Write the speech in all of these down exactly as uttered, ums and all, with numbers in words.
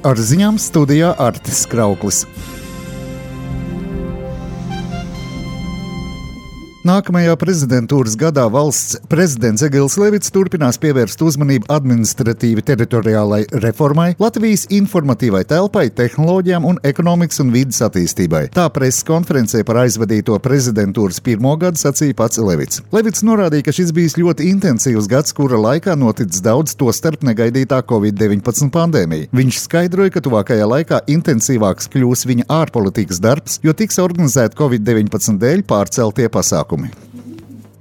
Ar ziņām studijā Artis Krauklis. Nākamajā prezidentūras gadā valsts prezidents Egils Levits turpinās pievērst uzmanību administratīvi teritoriālai reformai, Latvijas informatīvai telpai, tehnoloģijām un ekonomikas un vides attīstībai. Tā preses konferencē par aizvadīto prezidentūras pirmo gadu sacīja pats Levits. Levits norādīja, ka šis bijis ļoti intensīvs gads, kura laikā noticis daudz, tostarp negaidītā covid deviņpadsmit pandēmija. Viņš skaidroja, ka tuvākajā laikā intensīvāks kļūs viņa ārpolitikas darbs, jo tiks organizēti covid deviņpadsmit dēļ pārceltie pasākumi.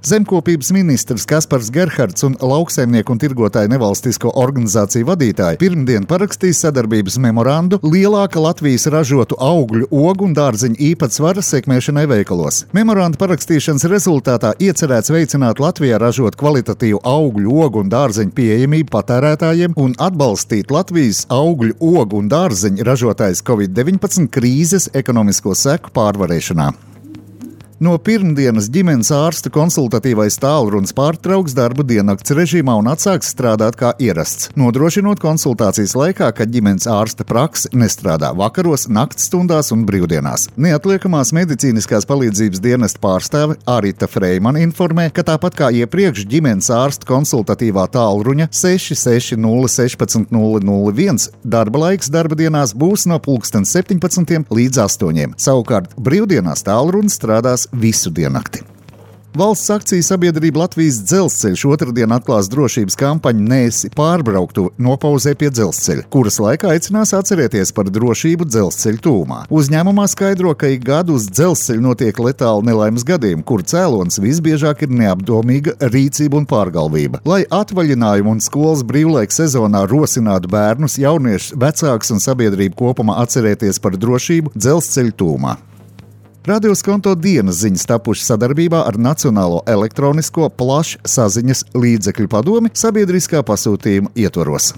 Zemkopības ministrs Kaspars Gerhards un lauksaimnieku un tirgotāju nevalstisko organizāciju vadītāji pirmdien parakstīs sadarbības memorandu lielāka Latvijas ražotu augļu, ogu un dārzeņu īpatsvara sekmēšanai veikalos. Memoranda parakstīšanas rezultātā iecerēts veicināt Latvijā ražot kvalitatīvu augļu, ogu un dārzeņu pieejamību patērētājiem un atbalstīt Latvijas augļu, ogu un dārzeņu ražotājus covid deviņpadsmit krīzes ekonomisko seku pārvarēšanā. No pirmdienas ģimenes ārsta konsultatīvais tālrunis pārtrauks darbu diennakts režīmā un atsāks strādāt kā ierasts, nodrošinot konsultācijas laikā, kad ģimenes ārsta prakse nestrādā vakaros, nakts stundās un brīvdienās. Neatliekamās medicīniskās palīdzības dienesta pārstāve Arita Freimana informē, ka tāpat kā iepriekš ģimenes ārsta konsultatīvā tālruņa seši seši nulle sešpadsmit nulle nulle viens darba laiks darba dienās būs no pulksten septiņpadsmitiem līdz astoņiem. Savukārt brīvdienās tālrunis strādās visu diennakti. Valsts akciju sabiedrība Latvijas dzelzceļš otrdien atklās drošības kampaņu Neesi pārbrauktu nopauzē pie dzelzceļa, kuras laikā aicinās atcerēties par drošību dzelzceļa tūmā. Uzņēmumā skaidro, ka ik gadu uz dzelzceļa notiek letāli nelaimes gadījumi, kur cēlonis visbiežāk ir neapdomīga rīcība un pārgalvība. Lai atvaļinājumu un skolas brīvlaika sezonā rosinātu bērnus, jauniešus, vecākus un sabiedrību kopumā atcerēties par drošību dzelzceļa tūmā. Radio Skonto dienas ziņas tapušas sadarbībā ar Nacionālo elektronisko plašsaziņas līdzekļu padomi sabiedriskā pasūtījuma ietvaros.